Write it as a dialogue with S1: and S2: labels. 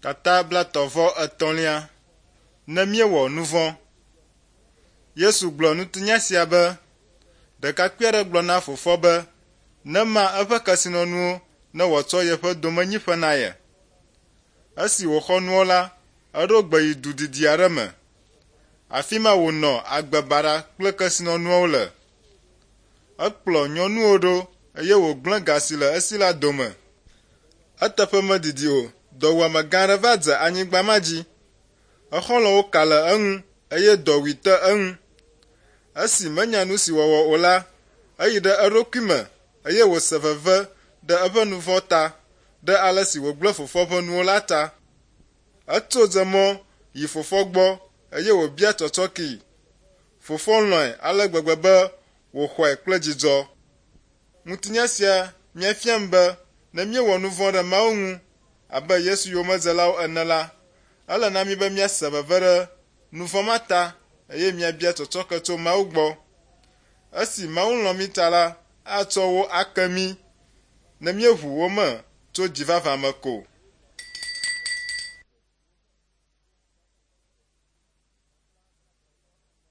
S1: Tata blaetɔ̃-vɔ-etɔ̃lia. Ne míewɔ nu vɔ̃. Yesu gblɔ ŋutinya sia be, Ɖekakpui aɖe gblɔ na fofoa be nema eƒe kesinɔnuwo ne wòatsɔ yeƒe domenyiƒe na ye. Esi wòxɔ nuawo la, eɖo gbe yi du didi aɖe me. Afi ma wònɔ agbe baɖa kple kesinɔnuawo le. Ekplɔ nyɔnuwo ɖo eye wògblẽ ga si le esi la dome. Eteƒe medidi o, dɔwuame gã aɖe va dze anyigba ma dzi. Exɔlɔ̃wo ka le eŋu eye dɔwui te eŋu. Esi menya nu si wòawɔ o la, eyi ɖe eɖokui me eye wòse veve ɖe eƒe nu vɔ̃ ta, ɖe ale si wògblẽ fofoa ƒe nuwo la ta. Etso dze mɔ yi fofoa gbɔ eye wòbia tsɔtsɔkee. Fofoa lɔ̃e ale gbegbe be wòxɔe kple dzidzɔ. Ŋutinya sia míafiam be ne míewɔ nu vɔ̃ ɖe Mawu ŋu abe Yesu yomedzelawo ene la, ele na mí be míase veve ɖe nu vɔ̃ ma ta eye míabia tsɔtsɔke tso Mawu gbɔ. Esi Mawu lɔ̃ mí ta la, atsɔ wo ake mí ne míeʋu wo me tso dzi vavã me ko.